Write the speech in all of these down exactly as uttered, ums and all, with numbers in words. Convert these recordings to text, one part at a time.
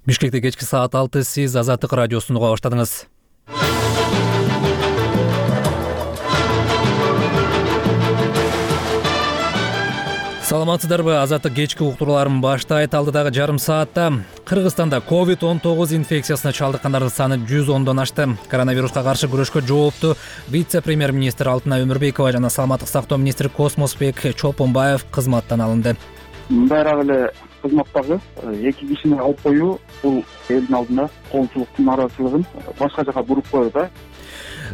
Бишкекте кечки саат алты, сиз Азаттык радиосун уга баштадыңыз. Саламатсыздарбы? Азаттык кечки уктурууларын баштайт. Алдыдагы жарым саатта Кыргызстанда ковид он тогуз инфекциясына чалдыккандардын саны жүз ондон ашты. Коронавируска каршы күрөшкө жооптуу вице-премьер-министр Алтынай Өмүрбекова жана саламаттык сактоо министри Космосбек Чолпонбаев кызматтан алынды. Мындайраак эле кызматтагы эки кишини алып коюу бул элдин алдында коомчулуктун нааразычылыгын башка жака буруп коет да.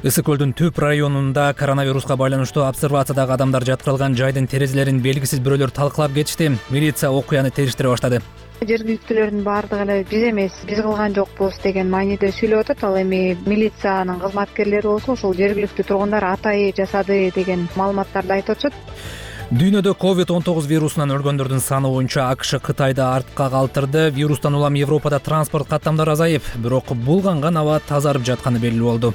Ысык көлдүн Түп районунда коронавируска байланыштуу обсервациядагы адамдар жаткырылган жайдын терезелерин белгисиз бирөөлөр талкалап кетишти. Милиция окуяны териштире баштады. Жергиликтүүлөрдүн баардыгы эле биз эмес, биз кылган жокпуз деген мааниде сүйлөп атат. Ал эми милициянын кызматкерлери болсо ошол жергиликтүү тургундар атайы жасады деген маалыматтарды айтып атышат. Дүйнөдө ковид он тогуз вирусунан өлгөндөрдүн саны боюнча АКШ Кытайды артка калтырды. Вирустан улам Европада транспорт каттамдары азайып, бирок булганган аба тазарып жатканы белгилүү болду.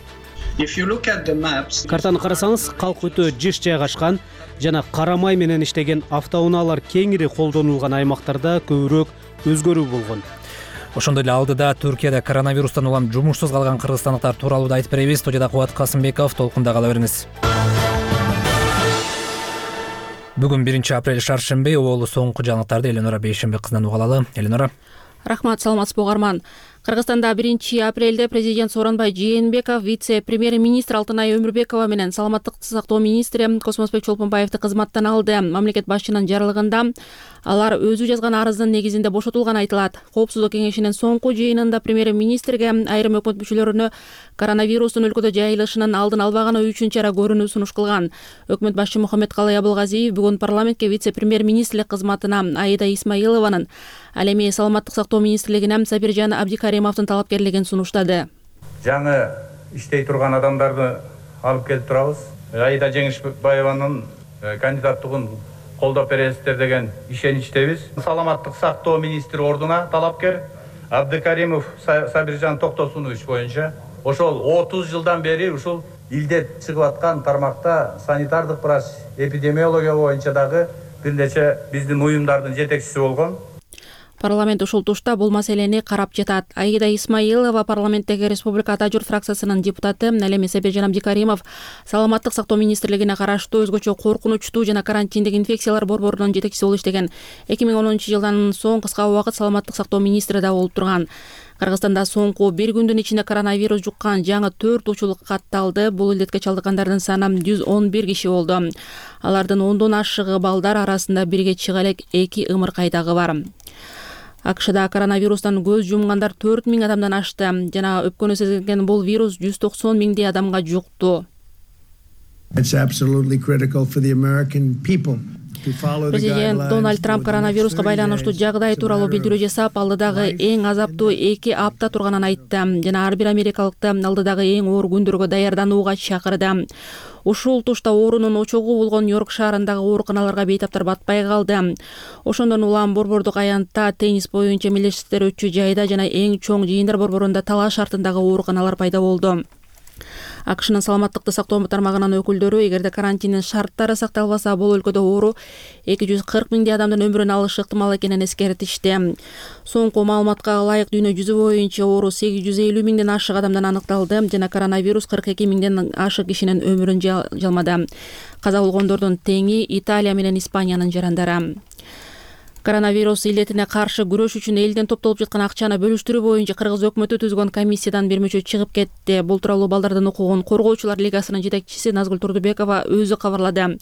Картаны карасаңыз, калк өтө жыш жайгашкан жана кара май менен иштеген автоунаалар кеңири колдонулган аймактарда көбүрөөк өзгөрүү болгон. Ошондой эле алдыда Түркияда коронавирустан улам жумушсуз калган кыргызстандыктар тууралуу да айтып беребиз. Студияда Кубат Касымбеков, толкунда кала бериңиз. Бүгүн биринчи апрель шаршемби, оолу соңку жаңылыктарды Эленора Бейшембек кызынан уга алалы. Эленора. Рахмат, саламатсызбы угарман. Кыргызстанда биринчи апрелде президент Сооронбай Жээнбеков, вице-премьер-министр Алтынай Өмүрбекова менен саламаттык сактоо министри Космосбек Чолпонбаевди кызматтан алды. Мамлекет башчынын жарлыгында алар өзү жазган арыздын негизинде бошотулганы айтылат. Коопсуздук кеңешинин соңку жыйынында премьер-министрге айрым өкмөт мүчөлөрүнө коронавирустун өлкөдө жайылышынын алдын албаганы үчүн чара көрүүнү сунуш кылган. Өкмөт башчы Мухаммедкалый Абылгазиев бүгүн парламентке вице-премьер-министрлик кызматына Аида Исмаилованын, ал эми саламаттык сактоо министрлигине Сабиржан Абдикаримовдун талапкерлигин сунуштады. Жаңы иштей турган адамдарды алып келип турабыз. Аида Жеңишбаеванын кандидаттыгын колдоп бересиздер деген ишеничтебиз. Саламаттык сактоо министри ордуна талапкер Абдикаримов Сабиржан Токтосунович боюнча ошол отуз жылдан бери ушул илде чыгып аткан тармакта санитардык врач, эпидемиология боюнча дагы бир нече биздин уюмдардын жетекчиси болгон. Парламент ушул тушта бул маселени карап жатат. Аида Исмаилова парламенттеги Республика Ата журт фракциясынын депутаты, ал эми Сабиржан Абдикаримов саламаттык сактоо министрлигине караштуу өзгөчө коркунучтуу жана карантиндик инфекциялар борборунун жетекчиси болуп иштеген. эки миң онунчу жылдан соң кыска убакыт саламаттык сактоо министри да болуп турган. Кыргызстанда соңку бир күндүн ичинде коронавирус жуккан жаңы төрт учул катталды. Бул илдетке чалдыккандардын саны жүз он бир киши болду. Алардын ондон ашыгы балдар арасында бирге чыга элек эки ымыркайдагы бар. АКШда коронавирустан көз жумгандар төрт миң адамдан ашты жана өпкөнү сезген бул вирус жүз токсон миңдей адамга жукту. Президент Дональд Трамп коронавируска байланыштуу жагдай тууралуу билдирүү жасап, алдыдагы эң азаптуу эки апта турганын айтты жана ар бир америкалыкты алдыдагы эң оор күндөргө даярданууга чакырды. Ушул тушта оорунун очогу болгон Нью-Йорк шаарындагы ооруканаларга бейтаптар батпай калды. Ошондон улам борбордук аянтта теннис боюнча мелдештиктер өтчү жайда жана эң чоң жыйындар борборунда талаш шартындагы ооруканалар пайда болду. АКШнын саламаттыкты сактоо тармагынын өкүлдөрү эгерде карантиндин шарттары сакталбаса, бул өлкөдө оору эки жүз кырк миңдей адамдын өмүрүн алышы ыктымал экенин эскертишти. Соңку маалыматка ылайык дүйнө жүзү боюнча оору сегиз жүз элүү миңден ашык адамдан аныкталды жана коронавирус кырк эки миңден ашык кишинин өмүрүн жалмады. Каза болгондордун теңи Италия менен Испаниянын жарандары. Коронавирус илдетине каршы күрөш үчүн элден топтолуп жаткан акчаны бөлүштүрүү боюнча Кыргыз өкмөтү түзгөн комиссиядан бир мүчө чыгып кетти. Бул тууралуу Балдардын укугун коргоочулар лигасынын жетекчиси Назгүл Турдубекова өзү кабарлады.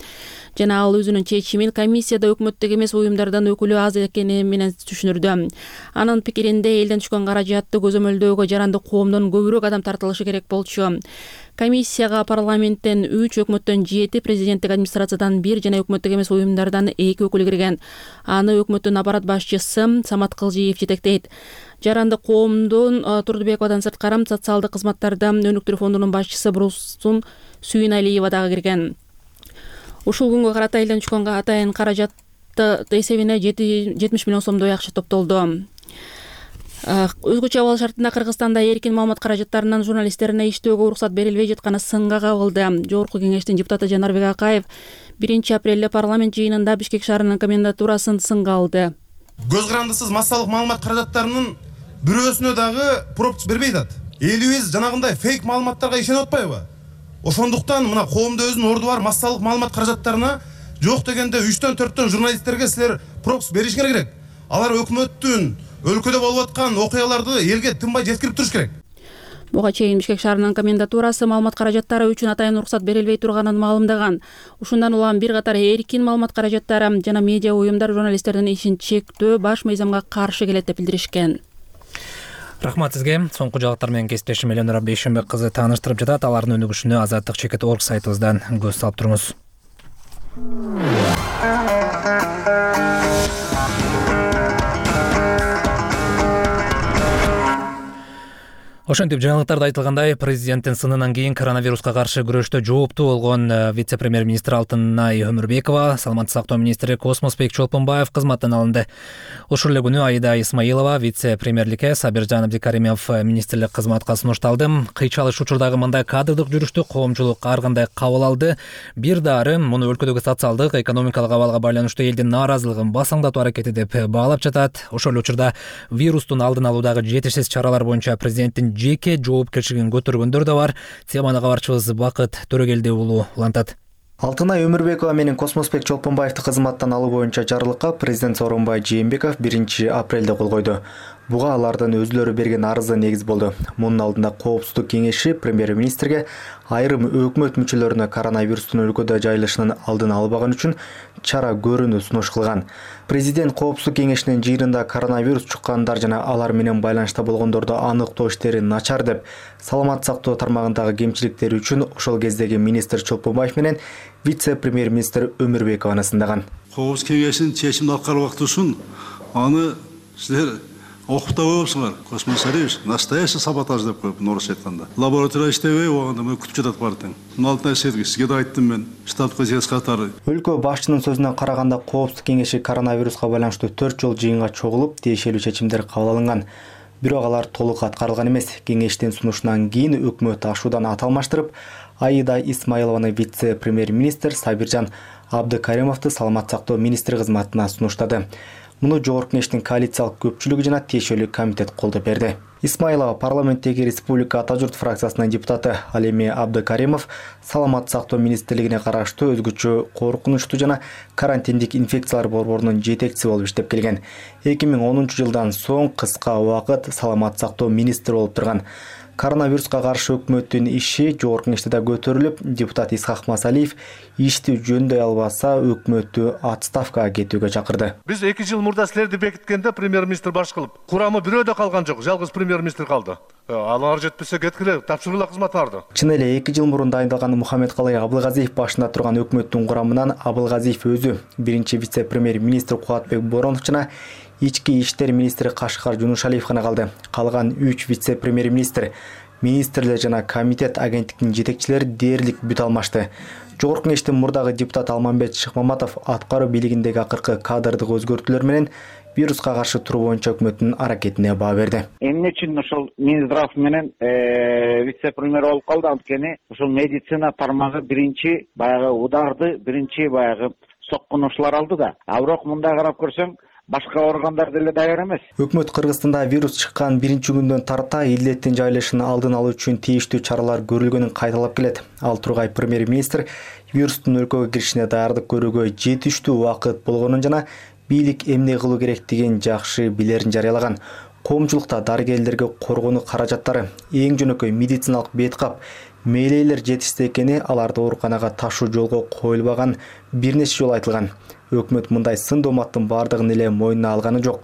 Жана ал өзүнүн чечимин комиссияда өкмөттүк эмес уюмдардан өкүлү аз экени менен түшүндүрдү. Анын пикиринде элден түшкөн каражатты көзөмөлдөөгө жарандык коомдон көбүрөөк адам тартылышы керек болчу. Комиссияга парламенттен үч, өкмөттөн жети, президенттик администрациядан бир жана өкмөттүк эмес уюмдардан эки өкүл кирген. Аны өкмөттүн аппарат башчысы Самат Кылжиев жетектейт. Жарандык коомдун Турдубековадан сырткары социалдык кызматтарды өнүктүрүү фондунун башчысы Бурсун Сүйүналиева дагы кирген. Ушул күнгө карата элден түшкөн атайын каражатты эсебине жетимиш миллион сомдой акча топтолду. Өзгөчө абал шартында Кыргызстанда эркин маалымат каражаттарынан журналисттерине иштөөгө уруксат берилбей жатканы сынга кабылды. Жогорку кеңештин депутаты Жанарбек Акаев биринчи апрелде парламент жыйынында Бишкек шаарынын комендатурасын сынга алды. Көз карандысыз массалык маалымат каражаттарынын бирөөсүнө дагы пропуск бербей атат. Элибиз жанагындай фейк маалыматтарга ишенип атпайбы? Ошондуктан мына коомдо өзүнүн орду бар массалык маалымат каражаттарына жок дегенде үчтөн төрттөн журналисттерге силер пропуск беришиңер керек. Алар өкмөттүн өлкөдө болуп аткан окуяларды элге тынбай жеткирип туруш керек. Буга чейин Бишкек шаарынын комендатурасы маалымат каражаттары үчүн атайын уруксат берилбей турганын маалымдаган. Ушундан улам бир катар эркин маалымат каражаттары жана медиа уюмдар журналисттердин ишин чектөө баш мыйзамга каршы келет деп билдиришкен. Рахмат сизге. Соңку жагаттар менен кесиптешим Эленора Бейшенбек кызы тааныштырып жатат. Алардын өнүгүшүнө азаттык чекит орг сайтыбыздан көз салып туруңуз. Ошентип жаңылыктарда айтылгандай, президенттин сынынан кийин коронавируска каршы күрөштө жооптуу болгон вице-премьер-министр Алтынай Өмүрбекова, саламаттык сактоо министри Космосбек Чолпонбаев кызматтан алынды. Ушул эле күнү Аида Исмаилова вице-премьерликке, Сабиржан Абдикаримов министрлик кызматка сунушталды. Кыйчалыш учурдагы мындай кадрдык жүрүштү коомчулук ар кандай кабыл алды. Бир дары муну өлкөдөгү социалдык, экономикалык абалга байланыштуу элдин нааразылыгын басаңдатуу аракети деп баалап жатат. Ошол эле учурда вирустун алдын алуудагы жетишсиз чаралар боюнча президенттин жеке жоопкерчилигин көтөргөндөр да бар. Теманы кабарчыбыз Бакыт Төрөгелди уулу улантат. Алтынай Өмүрбекова менен Космосбек Чолпонбаевди кызматтан алуу боюнча жарлыкка президент Сооронбай Жээнбеков биринчи апрелде кол койду. Буга алардын өзүлөрү берген арызы негиз болду. Мунун алдында Коопсуздук кеңеши премьер-министрге айрым өкмөт мүчөлөрүнө коронавирустун өлкөдө жайылышынын алдын албаган үчүн чара көрүүнү сунуш кылган. Президент Коопсуздук кеңешинин жыйынында коронавирус чуккандар жана алар менен байланышта болгондорду аныктоо иштери начар деп, саламат сактоо тармагындагы кемчиликтери үчүн ошол кездеги министр Чолпонбаев менен вице-премьер-министр Өмүрбекованы сындаган. Коопсуздук кеңешинин чечимин аткарып актуу үчүн аны силер окуп да коесуңар. Космос Алиевич настоящий саботаж деп коюп, орусча айтканда. Лаборатория иштебей, оганда мына күтүп жатат партияң. Мына Алтынай Сергей, сизге да айттым мен, штаб катары. Өлкө башчынын сөзүнө караганда, Коопсуздук кеңеши коронавируска байланыштуу төрт жол жыйынга чогулуп, тиешелүү чечимдер кабыл алынган. Бирок алар толук аткарылган эмес. Кеңештин сунушунан кийин өкмөт ашуудан ат алмаштырып, Аида Исмаилованы вице-премьер-министр, Сабиржан Абдыкаримовду саламат сактоо министри кызматына сунуштады. Муну жогорку кеңештин коалициялык көпчүлүгү жана тиешелүү комитет колдоп берди. Исмаилова парламенттеги Республика Ата журт фракциясынын депутаты, ал эми Абдыкаримов саламат сактоо министрлигине караштуу өзгөчө коркунучтуу жана карантиндик инфекциялар борборунун жетекчиси болуп иштеп келген. эки миң онунчу жылдан соң кыска убакыт саламат сактоо министри болуп турган. Коронавируска каршы өкмөттүн иши жогорку кеңеште да көтөрүлүп, депутат Исхак Масалиев ишти жөндөй албаса өкмөттү отставкага кетүүгө чакырды. Биз эки жыл мурда силерди бекиткенде премьер-министр баш кылып, курамы бирөө да калган жок, жалгыз премьер-министр калды. Алар жетпесе кеткиле, тапшыргыла кызматтарды. Чын эле эки жыл мурун дайындалган Мухаммедкалый Абылгазиев башында турган өкмөттүн курамынан Абылгазиев өзү, биринчи вице-премьер-министр Кубатбек Боронов жана ички иштер министри Кашкар Жунушалиев гана калды. Калган үч вице-премьер-министр, министрлер жана комитет агенттиктин жетекчилери дээрлик бүт алмашты. Жогорку кеңештин мурдагы депутат Алмамбет Шыкмаматов аткаруу бийлигиндеги акыркы кадрдык өзгөртүүлөр менен вируска каршы туруу боюнча өкмөттүн аракетине баа берди. Эмне үчүн ошол Минздрав менен вице-премьер болуп калды? Анткени ошол медицина тармагы биринчи баягы ударды, биринчи баягы соккунуучулар алды да. А бирок мындай карап көрсөң, башка органдар деле даяр эмес. Өкмөт Кыргызстанда вирус чыккан биринчи күндөн тарта илдеттин жайылышын алдын алуу үчүн тийиштүү чаралар көрүлгөнүн кайталап келет. Ал тургай премьер-министр вирустун өлкөгө киришине даярдык көрүүгө жетиштүү убакыт болгонун жана бийлик эмне кылуу керектигин жакшы билерин жарыялаган. Коомчулукта дарыгерлерге коргонуу каражаттары, эң жөнөкөй медициналык беткап, мээлейлер жетишсиз экени, аларды ооруканага ташуу жолго коюлбаган бир нече жолу айтылган. Өкмөт мындай сын дооматтын бардыгын эле мойнуна алганы жок.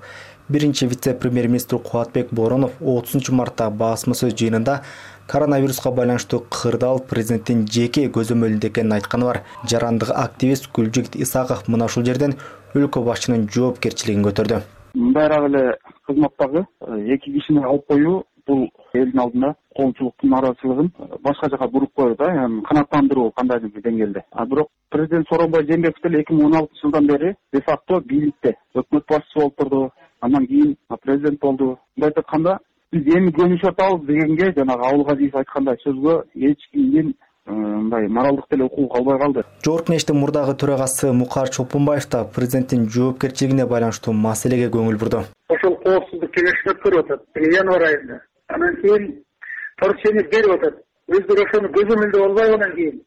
Биринчи вице-премьер-министр Кубатбек Боронов отузунчу мартта басма сөз жыйынында коронавируска байланыштуу кырдаал президенттин жеке көзөмөлүндө экенин айтканы бар. Жарандык активист Гүлжигит Исаков мына ушул жерден өлкө башчынын жоопкерчилигин көтөрдү. Мындайраак эле кызматтагы эки кишини алып коюу бул элдин алдында коомчулуктун нааразылыгын башка жака буруп коюу да, яны канааттандыруу кандайдыр бир деңгээлде. А бирок президент Сооронбай Жээнбеков деле эки миң он алтынчы жылдан бери де факто бийликте өкмөт башчысы болуп турду, андан кийин президент болду. Мындай айтканда, биз эми көнүшүп атабыз дегенге, жанагы Абылгазиев айткандай сөзгө эч кимдин мындай моралдык деле укугу калбай калды. Жогорку кеңештин мурдагы төрагасы Мукар Чолпонбаев да президенттин жоопкерчилигине байланыштуу маселеге көңүл бурду. ошол коопсуздук кеңешин өткөрүп атат январь айында. Анан кийин поручение берип атат. Өздөрү ошону көзөмөлдөп албайгынан кийин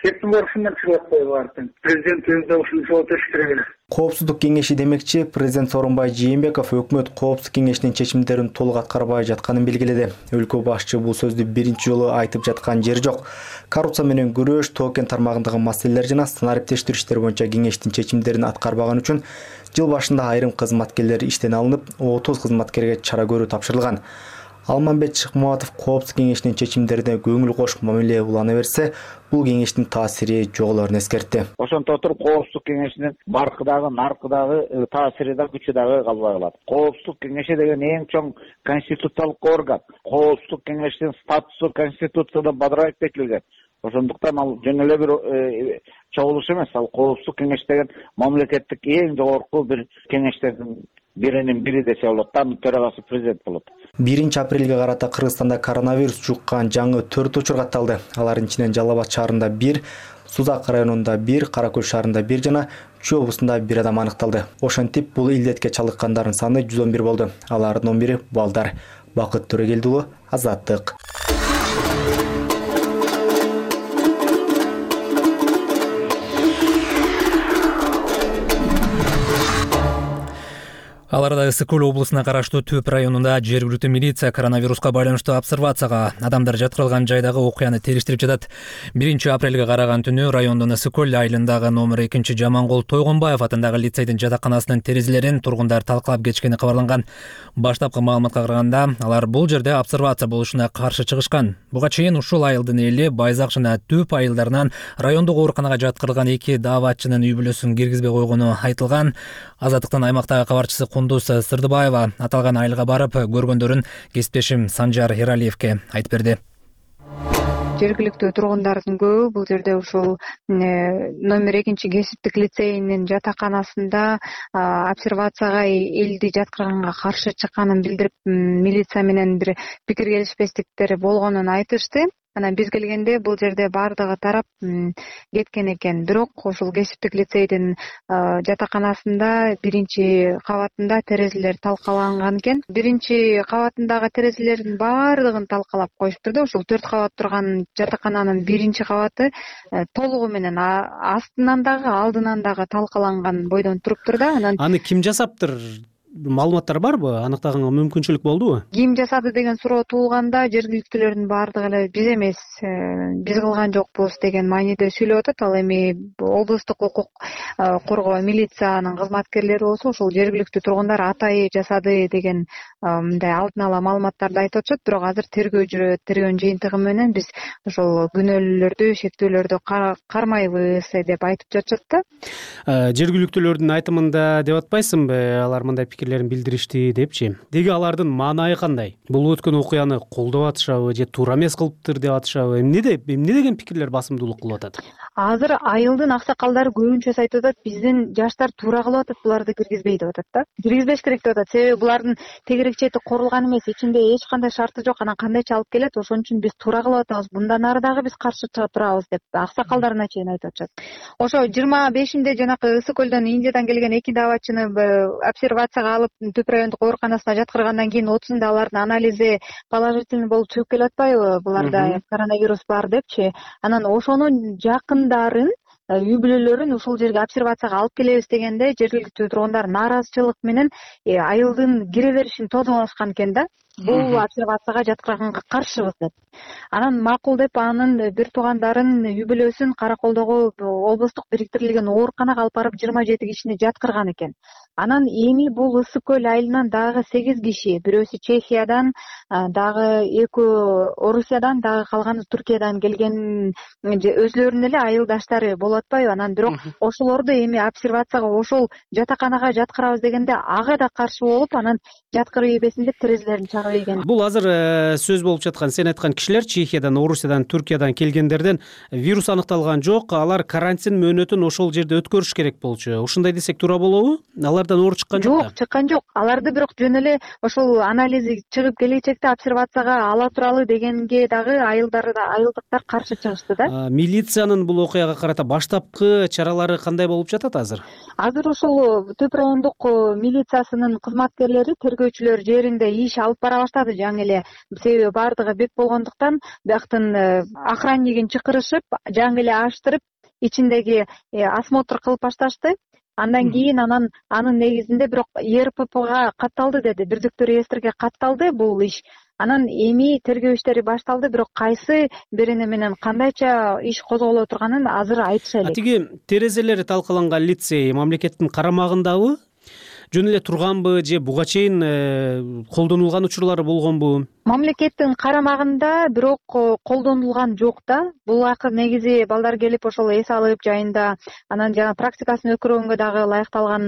кептин барышынан чыгып атпайбы баардык. Президентибиз да ушуну жооп бериш керек эле. Коопсуздук кеңеши демекчи, президент Сооронбай Жээнбеков өкмөт коопсуздук кеңешинин чечимдерин толук аткарбай жатканын белгиледи. Өлкө башчы бул сөздү биринчи жолу айтып жаткан жери жок. Коррупция менен күрөш, токен тармагындагы маселелер жана санариптештирүү иштери боюнча кеңештин чечимдерин аткарбаган үчүн жыл башында айрым кызматкерлер иштен алынып, отуз кызматкерге чара көрүү тапшырылган. Алмамбет Шыкмаматов коопсуздук кеңешинин чечимдерине көңүл кош мамиле улана берсе, бул кеңештин таасири жоголорун эскертти. Ошонто туруп коопсуздук кеңешинин баркыдагы, наркыдагы таасири да күчү дагы калбай калат. Коопсуздук кеңеши деген эң чоң конституциялык орган. Коопсуздук кеңешинин статусу конституцияда бадырайып бекитилген. Ошондуктан ал жөн эле бир чогулуш эмес. Ал коопсуздук кеңеш деген мамлекеттик эң жогорку бир кеңештердин биринин бири десе болот. Анын төрагасы президент болот. биринчи апрелге карата Кыргызстанда коронавирус жуккан жаңы төрт учур катталды. Алардын ичинен Жалал Абад шаарында бир, Сузак районунда бир, Кара Көл шаарында бир жана Чүй облусунда бир адам аныкталды. Ошентип бул илдетке чалдыккандардын саны жүз он бир болду. Алардын он бири балдар. Бакыт Төрөгелди уулу, Азаттык. Аларда Ысык Көл облусуна караштуу Төп районунда жергиликтүү милиция коронавируска байланыштуу обсервацияга адамдар жаткырылган жайдагы окуяны териштирип жатат. биринчи апрелге караган түнү райондун Ысык Көл айылындагы номер экинчи Жамангул Тойгонбаев атындагы лицейдин жатаканасынын терезелерин тургундар талкалап кетишкени кабарланган. Баштапкы маалыматка караганда, алар бул жерде обсервация болушуна каршы чыгышкан. Буга чейин ушул айылдын эли Байзак жана Төп айылдарынан райондук ооруканага жаткырылган эки дааватчынын үй бүлөсүн киргизбей койгону айтылган. Азаттыктын аймактагы кабарчысы Кундуз Сырдыбаева аталган айылга барып, көргөндөрүн кесиптешим Санжар Эралиевке айтып берди. Жергиликтүү тургундардын көбү бул жерде ушул номер экинчи кесиптик лицейинин жатаканасында обсервацияга элди жаткырганга каршы чыкканын билдирип, милиция менен бир пикир келишпестиктер болгонун айтышты. Анан биз келгенде бул жерде баардыгы тарап кеткен экен. Бирок ошол кесиптик лицейдин жатаканасында биринчи кабатында терезелер талкаланган экен. Биринчи кабатындагы терезелердин баардыгын талкалап коюштур да. Ошол төрт кабат турган жатакананын биринчи кабаты толугу менен астынан дагы, алдынан дагы талкаланган бойдон туруптур да. Анан аны ким жасаптыр? Маалыматтар барбы? Аныктаганга мүмкүнчүлүк болдубу? Ким жасады деген суроо туулганда жергиликтүүлөрдүн баардыгы эле биз эмес, биз кылган жокпуз деген мааниде сүйлөп атат. Ал эми облустук укук коргоо милициянын кызматкерлери болсо ошол жергиликтүү тургундар атайы жасады деген мындай алдын ала маалыматтарды айтып атышат. Бирок азыр тергөө жүрөт. Тергөөнүн жыйынтыгы менен биз ошол күнөөлүүлөрдү, шектүүлөрдү кармайбыз деп айтып жатышат да. Жергиликтүүлөрдүн айтымында деп атпайсыңбы? Алар мындай пикирлерин билдиришти депчи. Деги алардын маанайы кандай? Бул өткөн окуяны колдоп атышабы же туура эмес кылыптыр деп атышабы? Эмне эмне деген пикирлер басымдуулук кылып атат? Азыр айылдын аксакалдары көбүнчөсү айтып атат, биздин жаштар туура кылып атат, буларды киргизбей деп атат да. Киргизбеш керек деп атат. Себеби булардын тегерек чети корулган эмес, ичинде эч кандай шарты жок. Анан кандайча алып келет, ошон үчүн биз туура кылып атабыз. Bundan ары дагы биз каршы чыга турабыз деп аксакалдарына чейин айтып атышат. Ошо жыйырма бешинде жанакы Ысык Көлдөн Индиядан келген эки дааватчыны обсервацияга алып Төп райондук ооруканасына жаткыргандан кийин отузунда алардын анализи положительный болуп чыгып келип атпайбы? Буларда коронавирус бар депчи. Анан ошонун жакындарын, үй бүлөлөрүн ушул жерге обсервацияга алып келебиз дегенде жергиликтүү тургундар нааразычылык менен айылдын кире беришин тозмолошкан экен да. Бул обсервацияга жаткырганга каршыбыз деп. Анан макул деп анын бир туугандарын, үй бүлөсүн Караколдогу облустук бириктирилген ооруканага алып барып жыйырма жети кишини жаткырган экен. Анан эми бул Ысык Көл айылынан дагы сегиз киши, бирөөсү Чехиядан, дагы экөө Орусиядан, дагы калганы Түркиядан келген өзлөрүнүн эле айылдаштары болуп атпайбы? Анан бирок ошолорду эми обсервацияга ошол жатаканага жаткырабыз дегенде ага да каршы болуп, анан жаткырып ийбесин деп терезелерин чагып ийген. Бул азыр сөз болуп жаткан, сен айткан кишилер Чехиядан, Орусиядан, Түркиядан келгендерден вирус аныкталган жок, алар карантин мөөнөтүн ошол жерде өткөрүш керек болчу. Ушундай десек туура болобу? Алар кайрадан оор чыккан жок да? Жок, чыккан жок. Аларды бирок жөн эле ошол анализи чыгып келечекте обсервацияга ала туралы дегенге дагы айылдар да айылдыктар каршы чыгышты да. Милициянын бул окуяга карата баштапкы чаралары кандай болуп жатат азыр? Азыр ушул Төп райондук милициясынын кызматкерлери, тергөөчүлөр жеринде иш алып бара баштады жаңы эле. Себеби баардыгы бек болгондуктан бияктын охраннигин чакырышып, жаңы эле аштырып, ичиндеги осмотр кылып башташты. Андан кийин анан анын негизинде бирок Е Р П Пга катталды деди, бирдиктүү реестрге катталды бул иш. Анан эми тергөө иштери башталды, бирок кайсы бирине менен кандайча иш козголо турганын азыр айтыша элек. Тиги терезелери талкаланган лицей мамлекеттин карамагындабы? Жөн эле турганбы же буга чейин колдонулган учурлары болгонбу? Мамлекеттин карамагында бирок колдонулган жок да. Бул акыр негизи балдар келип ошол эс алып жайында, анан жана практикасын өткөргөнгө дагы ылайыкталган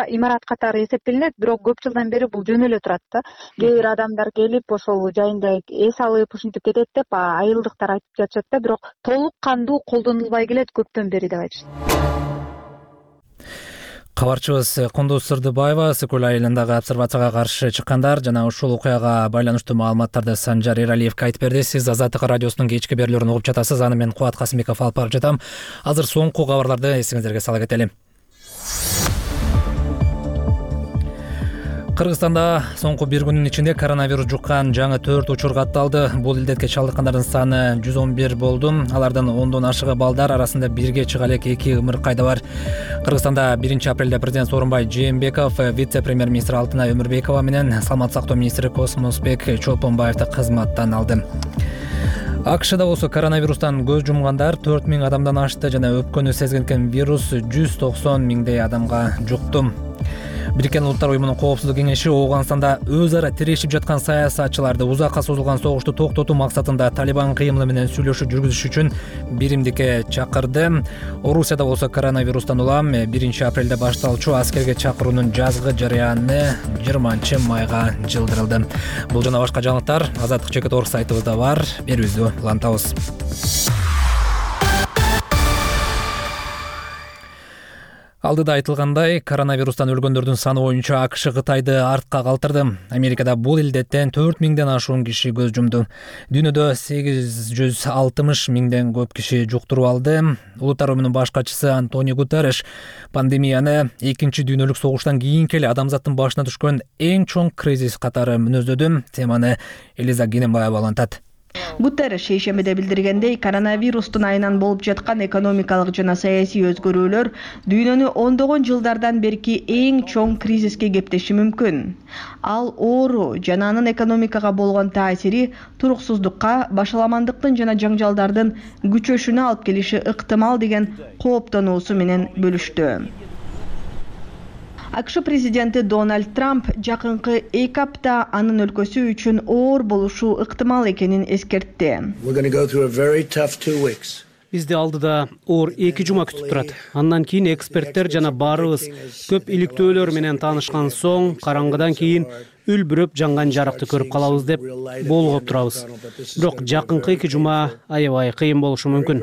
имарат катары эсептелинет, бирок көп жылдан бери бул жөн эле турат да. Кээ бир адамдар келип ошол жайында эс алып ушинтип кетет деп айылдыктар айтып жатышат да, бирок толук кандуу колдонулбай келет көптөн бери деп айтышат. Кабарчыбыз Кундуз Сырдыбаева Сыкөл айылындагы обсервацияга каршы чыккандар жана ушул окуяга байланыштуу маалыматтарды Санжар Эралиевге айтып берди. Сиз Азаттык радиосунун кечки берүүлөрүн угуп жатасыз. Аны мен Кубат Касымбеков алып барып жатам. Азыр соңку кабарларды эсиңиздерге сала кетели. Кыргызстанда соңку бир күнүн ичинде коронавирус жуккан жаңы төрт учур катталды. Бул илдетке чалдыккандардын саны жүз он бир болду. Алардын ондон ашыгы балдар, арасында бирге чыга элек эки ымыркайда бар. Кыргызстанда биринчи апрелде президент Сооронбай Жээнбеков, вице-премьер-министр Алтынай Өмүрбекова менен саламаттык сактоо министри Космосбек Чолпонбаевди кызматтан алды. АКШда болсо коронавирустан көз жумгандар төрт миң адамдан ашты жана өпкөнү сезген вирус жүз токсон миңдей адамга жукту. Бириккен Улуттар уюмунун коопсуздук кеңеши Ооганстанда өз ара тирешип жаткан саясатчыларды узакка созулган согушту токтотуу максатында Талибан кыймылы менен сүйлөшүү жүргүзүш үчүн биримдикке чакырды. Орусияда болсо коронавирустан улам биринчи апрелде башталчу аскерге чакыруунун жазгы жарыяны жыйырманчы майга жылдырылды. Бул жана башка жаңылыктар Азаттык чекит орг сайтыбызда бар. Берүүбүздү улантабыз. Алдыда айтылгандай, коронавирустан өлгөндөрдүн саны боюнча АКШ Кытайды артка калтырды. Америкада бул илдеттен төрт миңден ашуун киши көз жумду. Дүйнөдө сегиз жүз алтымыш миңден көп киши жуктуруп алды. Улуттар уюмунун баш катчысы Антонио Гутерриш пандемияны экинчи дүйнөлүк согуштан кийинки эле адамзаттын башына түшкөн эң чоң кризис катары мүнөздөдү. Теманы Элиза Генембаева улантат. Гутерриш шейшембиде билдиргендей, коронавирустун айынан болуп жаткан экономикалык жана саясий өзгөрүүлөр дүйнөнү ондогон жылдардан берки эң чоң кризиске кептеши мүмкүн. Ал оору жана анын экономикага болгон таасири туруксуздукка, башаламандыктын жана жаңжалдардын күчөшүнө алып келиши ыктымал деген кооптонуусу менен бөлүштү. АКШ президенти Дональд Трамп жакынкы эки апта анын өлкөсү үчүн оор болушу ыктымал экенин эскертти. Бизди алдыда оор эки жума күтүп турат. Андан кийин эксперттер жана баарыбыз көп иликтөөлөр менен таанышкан соң, караңгыдан кийин үлбүрөп жанган жарыкты көрүп калабыз деп болгоп турабыз. Бирок жакынкы эки жума аябай кыйын болушу мүмкүн.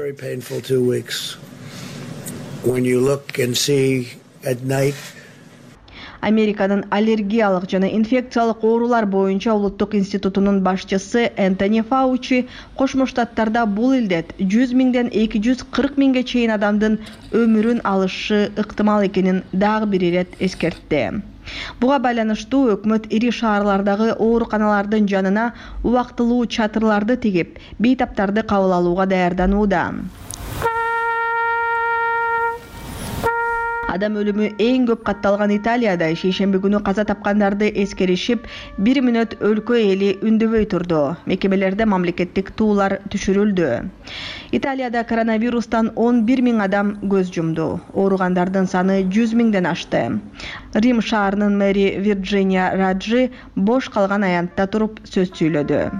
Американын аллергиялык жана инфекциялык оорулар боюнча улуттук институтунун башчысы Энтони Фаучи Кошмо Штаттарда бул илдет жүз миңден эки жүз кырк миңге чейин адамдын өмүрүн алышы ыктымал экенин дагы бир ирет эскертти. Буга байланыштуу өкмөт ири шаарлардагы ооруканалардын жанына убактылуу чатырларды тигип, бейтаптарды кабыл алууга даярданууда. Адам өлүмү эң көп катталган Италияда шейшемби күнү каза тапкандарды эскеришип, бир мүнөт өлкө эли үндөбөй турду. Мекемелерде мамлекеттик туулар түшүрүлдү. Италияда коронавирустан он бир миң адам көз жумду. Ооругандардын саны жүз миңден ашты. Рим шаарынын мэри Вирджиния Раджи бош калган аянтта туруп сөз сүйлөдү.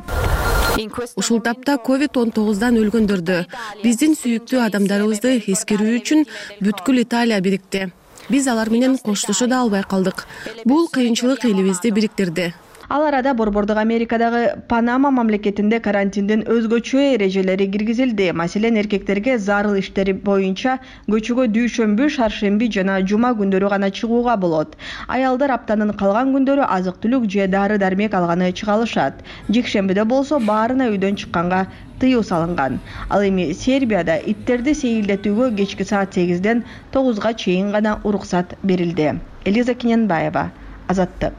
Ушул тапта ковид он тогуздан өлгөндөрдү, биздин сүйүктүү адамдарыбызды эскерүү үчүн бүткүл Италия бирикти. Биз алар менен коштошо да албай калдык. Бул кыйынчылык элибизди бириктирди. Ал арада Борбордук Америкадагы Панама мамлекетинде карантиндин өзгөчө эрежелери киргизилди. Маселен, эркектерге зарыл иштери боюнча көчөгө дүйшөмбү, шаршемби жана жума күндөрү гана чыгууга болот. Аялдар аптанын калган күндөрү азык-түлүк же дары-дармек алганы чыгалышат. Жекшембиде болсо баарына үйдөн чыкканга тыюу салынган. Ал эми Сербияда иттерди сейилдетүүгө кечки саат сегизден тогузга чейин гана уруксат берилди. Элиза Кененбаева, Азаттык.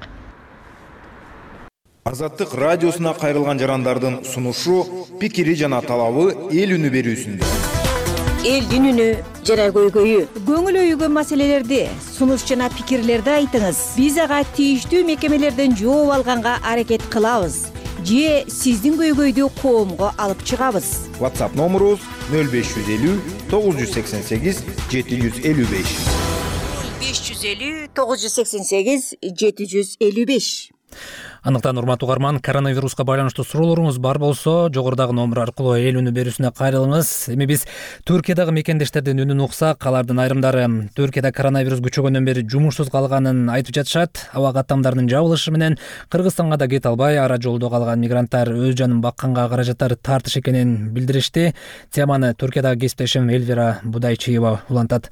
Азаттык радиосуна кайрылган жарандардын сунушу, пикири жана талабы эл үнү берүүсүндө. Элдин үнү жана көйгөйү. Көңүл өйгөн маселелерди, сунуш жана пикирлерди айтыңыз. Биз ага тийиштүү мекемелерден жооп алганга аракет кылабыз. Же сиздин көйгөйдү коомго алып чыгабыз. WhatsApp номерубуз нөл беш жүз элүү тогуз жүз сексен сегиз жети жүз элүү беш. беш жүз элүү тогуз жүз сексен сегиз жети жүз элүү беш. Андыктан урматтуу угарман, коронавируска байланыштуу суроолоруңуз бар болсо, жогорудагы номер аркылуу эл үнү берүүсүнө кайрылыңыз. Эми биз Түркиядагы мекендештердин үнүн уксак, алардын айрымдары Түркияда коронавирус күчөгөндөн бери жумушсуз калганын айтып жатышат. Аба каттамдарынын жабылышы менен Кыргызстанга да кете албай, ара жолдо калган мигранттар өз жанын бакканга каражаттар тартыш экенин билдиришти. Теманы Түркиядагы кесиптешим Эльвира Будайчиева улантат.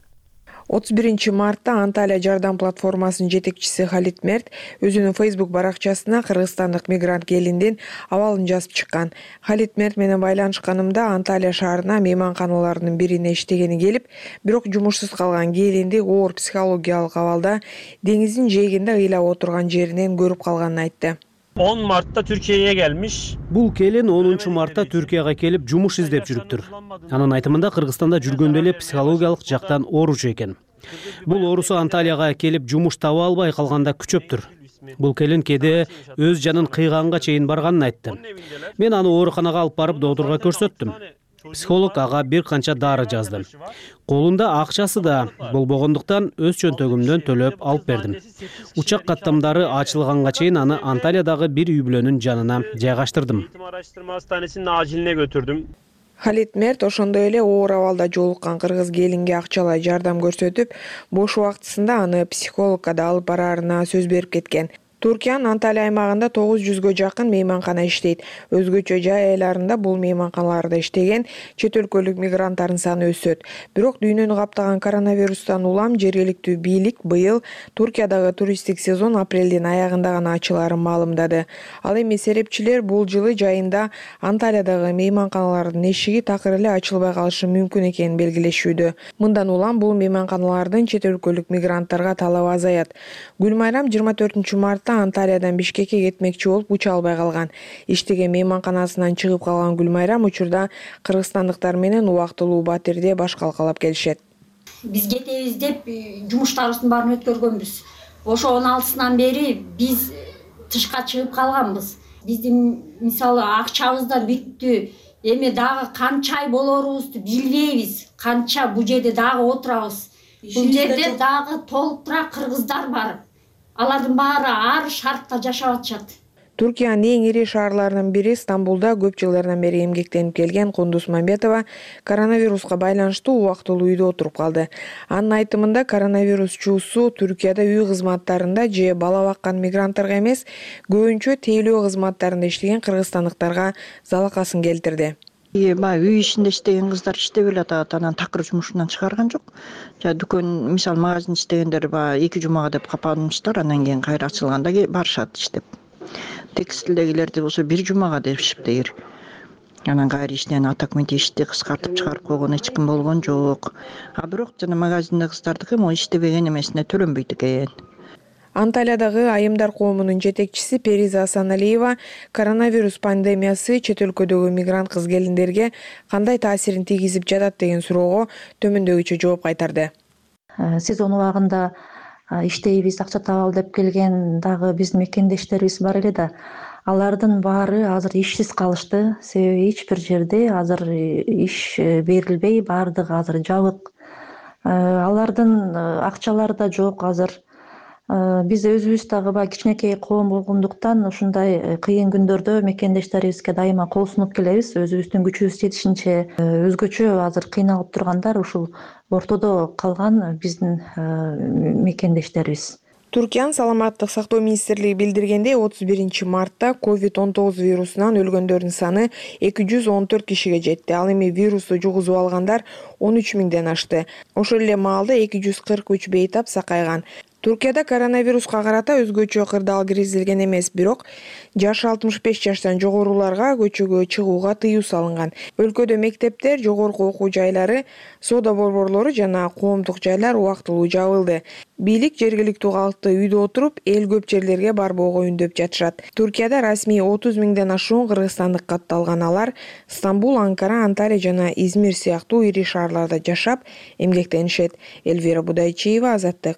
отуз биринчи мартта Анталия жардам платформасынын жетекчиси Халит Мерт өзүнүн Facebook баракчасына кыргызстандык мигрант келиндин абалын жазып чыккан. Халит Мерт менен байланышканымда Анталия шаарына мейманканалардын бирине иштегени келип, бирок жумушсуз калган келинди оор психологиялык абалда деңиздин жээгинде ыйлап отурган жеринен көрүп калганын айтты. он мартта Türkiye'ye gelmiş. Бул келин онунчу мартта Түркияга келип жумуш издеп жүрүптүр. Анын айтымында Кыргызстанда жүргөндө эле психологиялык жактан ооручу экен. Бул оорусу Анталияга келип жумуш таба албай калганда күчөптүр. Бул келин кээде өз жанын кыйганга чейин барганын айтты. Мен аны ооруканага алып барып доктурга көрсөттүм. Психолог ага бир канча дары жазды. Колунда акчасы да болбогондуктан өз чөнтөгүмдөн төлөп алып бердим. Учак каттамдары ачылганга чейин аны Анталиядагы бир үй бүлөнүн жанына жайгаштырдым. Халит Мерт ошондой эле оор абалда жолуккан кыргыз келинге акчалай жардам көрсөтүп, бош убактысында аны психологко да алып бараарына сөз берип кеткен. Туркиянын Анталия аймагында тогуз жүзгө жакын мейманкана иштейт. Өзгөчө жай айларында бул мейманканаларда иштеген чет өлкөлүк мигранттардын саны өсөт. Бирок дүйнөнү каптаган коронавирустан улам жергиликтүү бийлик быйыл Туркиядагы туристтик сезон апрелдин аягында гана ачылаарын маалымдады. Ал эми серепчилер бул жылы жайында Анталиядагы мейманканалардын эшиги такыр эле ачылбай калышы мүмкүн экенин белгилешүүдө. Мындан улам бул мейманканалардын чет өлкөлүк мигранттарга талабы азаят. Гүлмайрам жыйырма төртүнчү мартта Анталиядан Бишкекке кетмекчи болуп уча албай калган. Иштеген мейманканасынан чыгып калган Гүлмайрам учурда кыргызстандыктар менен убактылуу батирде баш калкалап келишет. Биз кетебиз деп жумуштарыбыздын баарын өткөргөнбүз. Ошо он алтысынан бери биз тышка чыгып калганбыз. Биздин мисалы акчабыз да бүттү. Эми дагы канча ай болорубузду билбейбиз. Канча бул жерде дагы отурабыз. Бул жерде дагы толтура кыргыздар бар. Алардын баары ар шартта жашап атышат. Түркиянын эң ири шаарларынын бири Стамбулда көп жылдардан бери эмгектенип келген Кундуз Мамбетова коронавируска байланыштуу убактылуу үйдө отуруп калды. Анын айтымында коронавирус чуусу Түркияда үй кызматтарында же бала баккан мигранттарга эмес, көбүнчө тейлөө кызматтарында иштеген кыргызстандыктарга залакасын келтирди. Баягы үй ичинде иштеген кыздар иштеп эле атат, анан такыр жумушунан чыгарган жок. Жа дүкөн, мисалы магазин иштегендер баягы эки жумага деп капанышты, анан кийин кайра ачылганда барышат иштеп. Текстилдегилерди болсо бир жумага деп иштейр. Анан кайра иштеген атакменти ишти кыскартып чыгарып койгон эч ким болгон жок. А бирок жана магазиндеги кыздардыкы могу иштебеген эмесине төлөнбөйт экен. Анталиядагы айымдар коомунун жетекчиси Периза Асаналиева коронавирус пандемиясы чет өлкөдөгү мигрант кыз келиндерге кандай таасирин тийгизип жатат деген суроого төмөндөгүчө жооп кайтарды. Сезон убагында иштейбиз, акча табалы деп келген дагы биздин мекендештерибиз бар эле да. Алардын баары азыр ишсиз калышты. Себеби эч бир жерде азыр иш берилбей, баардыгы азыр жабык. Алардын акчалары да жок азыр. Биз өзүбүз дагы баягы кичинекей коом болгондуктан ушундай кыйын күндөрдө мекендештерибизге дайыма кол сунуп келебиз. Өзүбүздүн күчүбүз жетишинче өзгөчө азыр кыйналып тургандар ушул ортодо калган биздин мекендештерибиз. Туркиянын саламаттык сактоо министрлиги билдиргендей, отуз биринчи мартта ковид он тогуз вирусунан өлгөндөрдүн саны эки жүз он төрт кишиге жетти. Ал эми вирусту жугузуп алгандар он үч миңден ашты. Ошол эле маалда эки жүз кырк үч бейтап сакайган. Туркияда коронавируска карата өзгөчө кырдаал киргизилген эмес, бирок жашы алтымыш беш жаштан жогоруларга көчөгө чыгууга тыюу салынган. Өлкөдө мектептер, жогорку окуу жайлары, соода борборлору жана коомдук жайлар убактылуу жабылды. Бийлик жергиликтүү калкты үйдө отуруп, эл көп жерлерге барбоого үндөп жатышат. Туркияда расмий отуз миңден ашуун кыргызстандык катталган. Алар Стамбул, Анкара, Анталия жана Измир сыяктуу ири шаарларда жашап, эмгектенишет. Эльвира Будайчиева, Азаттык.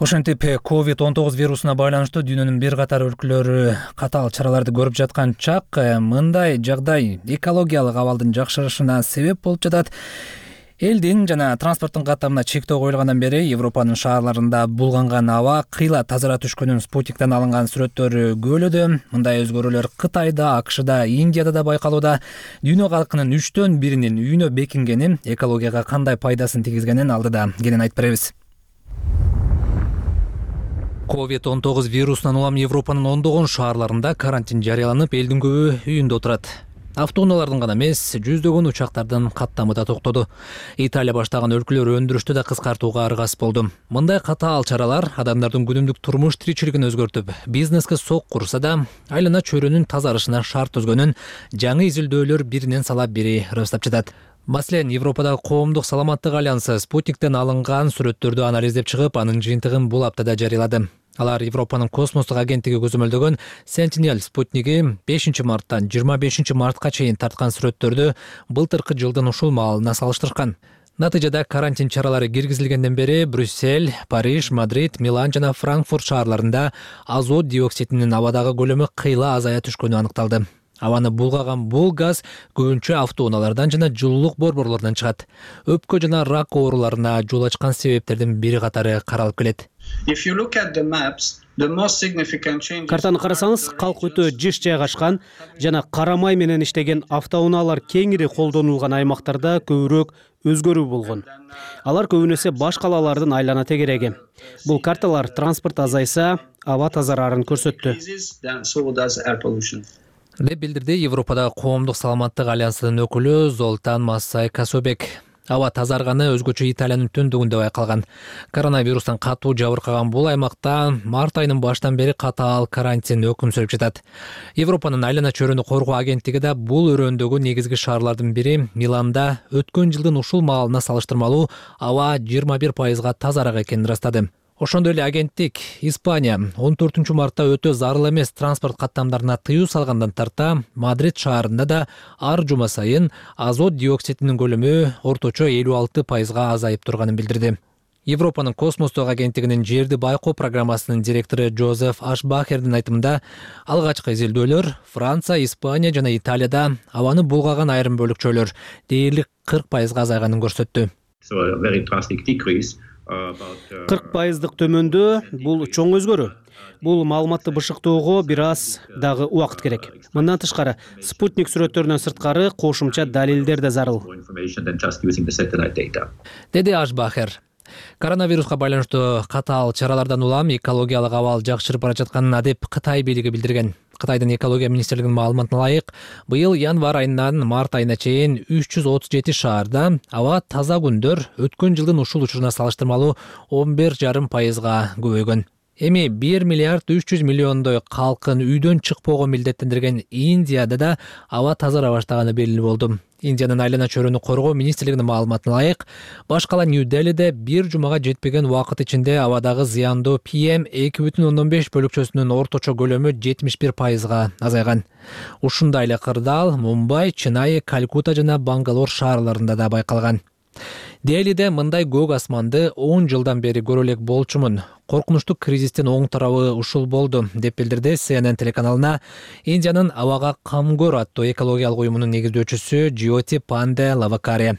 Ошентип ковид он тогуз вирусуна байланыштуу дүйнөнүн бир катар өлкөлөрү катаал чараларды көрүп жаткан чак, мындай жагдай экологиялык абалдын жакшырышына себеп болуп жатат. Элдин жана транспорттун каттамына чектөө коюлгандан бери Европанын шаарларында булганган аба кыйла тазара түшкөнүн спутниктен алынган сүрөттөрү көбөлөдө. Мындай өзгөрүүлөр Кытайда, АКШда, Индияда да байкалууда. Дүйнө калкынын үчтөн биринин үйүнө бекингени экологияга кандай пайдасын тийгизгенин алдыда кенен айтып беребиз. ковид он тогуз вирусунан улам Европанын ондогон шаарларында карантин жарыяланып, элдин көбү үйүндө отурат. Автоунаалардын гана эмес, жүздөгөн учактардын каттамы да токтоду. Италия баштаган өлкөлөр өндүрүштү да кыскартууга аргасыз болду. Мындай катаал чаралар адамдардын күнүмдүк турмуш тиричилигин өзгөртүп, бизнеске сок курса да, айлана чөйрөнүн тазарышына шарт түзгөнүн жаңы изилдөөлөр биринен салап бири ырастап жатат. Маселен, Европадагы коомдук саламаттык альянсы спутниктен алынган сүрөттөрдү анализдеп чыгып, анын жыйынтыгын бул аптада жарыялады. Алар Европанын космостук агенттиги көзөмөлдөгөн Sentinel спутниги бешинчи марттан жыйырма бешинчи мартка чейин тарткан сүрөттөрдү былтыркы жылдын ушул маалына салыштырган. Натыйжада карантин чаралары киргизилгенден бери Брюссель, Париж, Мадрид, Милан жана Франкфурт шаарларында азот диоксидинин абадагы көлөмү кыйла азая түшкөнү аныкталды. Абаны булгаган бул газ көбүнчө автоунаалардан жана жылуулук борборлорунан чыгат. Өпкө жана рак ооруларына жол ачкан себептердин бири катары каралып келет. Картаны карасаңыз, калк өтө жыш жайгашкан жана кара май менен иштеген автоунаалар кеңири колдонулган аймактарда көбүрөөк өзгөрүү болгон. Алар көбүнесе баш калалардын айлана тегереги. Бул карталар транспорт азайса, аба тазарарын көрсөттү. деп билдирди Европадагы коомдук саламаттык альянсынын өкүлү Золтан Массай Касобек. Аба тазарганы өзгөчө Италиянын түндүгүндө байкалган. Коронавирустан катуу жабыркаган бул аймакта март айынын башынан бери катаал карантин өкүм сүрүп жатат. Европанын айлана чөйрөнү коргоо агенттиги да бул өрөөндөгү негизги шаарлардын бири Миланда өткөн жылдын ушул маалына салыштырмалуу аба жыйырма бир пайызга тазараак экенин ырастады. Ошондой эле агенттик Испания он төртүнчү мартта өтө зарыл эмес транспорт каттамдарына тыюу салгандан тарта Мадрид шаарында да ар жума сайын азот диоксидинин көлөмү орточо элүү алты пайызга азайып турганын билдирди. Европанын космостук агенттигинин жерди байкоо программасынын директору Жозеф Ашбахердин айтымында, алгачкы изилдөөлөр Франция, Испания жана Италияда абаны булгаган айрым бөлүкчөлөр дээрлик кырк пайызга азайганын көрсөттү. кырк пайыздык төмөндөө бул чоң өзгөрүү. Бул маалыматты бышыктоого бир аз дагы убакыт керек. Мындан тышкары, спутник сүрөттөрүнөн сырткары кошумча далилдер да зарыл. Деди Ашбахер. Коронавируска байланыштуу катаал чаралардан улам экологиялык абал жакшырып бара жатканын адеп Кытай бийлиги билдирген. Кытайдын экология министрлигинин маалыматына ылайык, быйыл январь айынан март айына чейин үч жүз отуз жети шаарда аба таза күндөр өткөн жылдын ушул учуруна салыштырмалуу он бир жарым пайызга көбөйгөн. Эми бир миллиард үч жүз миллиондой калкын үйдөн чыкпоого милдеттендирген Индияда да аба тазара баштаганы белгилүү болду. Индиянын айлана чөйрөнү коргоо министрлигинин маалыматына ылайык, баш кала Нью-Делиде бир жумага жетпеген убакыт ичинде абадагы зыяндуу пи эм эки бүтүн ондон беш бөлүкчөсүнүн орточо көлөмү жетимиш бир пайызга азайган. Ушундай эле кырдаал Мумбай, Ченай, Калькутта жана Бангалор шаарларында да байкалган. Делиде мындай көк асманды он жылдан бери көрө элек болчумун. Коркунучтуу кризистин оң тарабы ушул болду, деп билдирди Си Эн Эн телеканалына Индиянын абага камкор аттуу экологиялык уюмунун негиздөөчүсү Джиоти Панде Лавакари.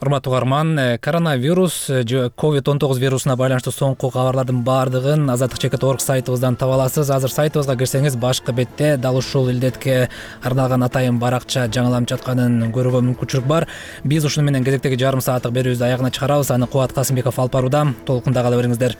урматтуу угарман, коронавирус же ковид он тогуз вирусуна байланыштуу соңку кабарлардын баардыгын азаттык чекит орг сайтыбыздан таба аласыз. Азыр сайтыбызга кирсеңиз башкы бетте дал ушул илдетке арналган атайын баракча жаңыланып жатканын көрүүгө мүмкүнчүлүк бар. Биз ушуну менен кезектеги жарым сааттык берүүбүздү аягына чыгарабыз. Аны Кубат Касымбеков алып барууда. Толкунда кала бериңиздер.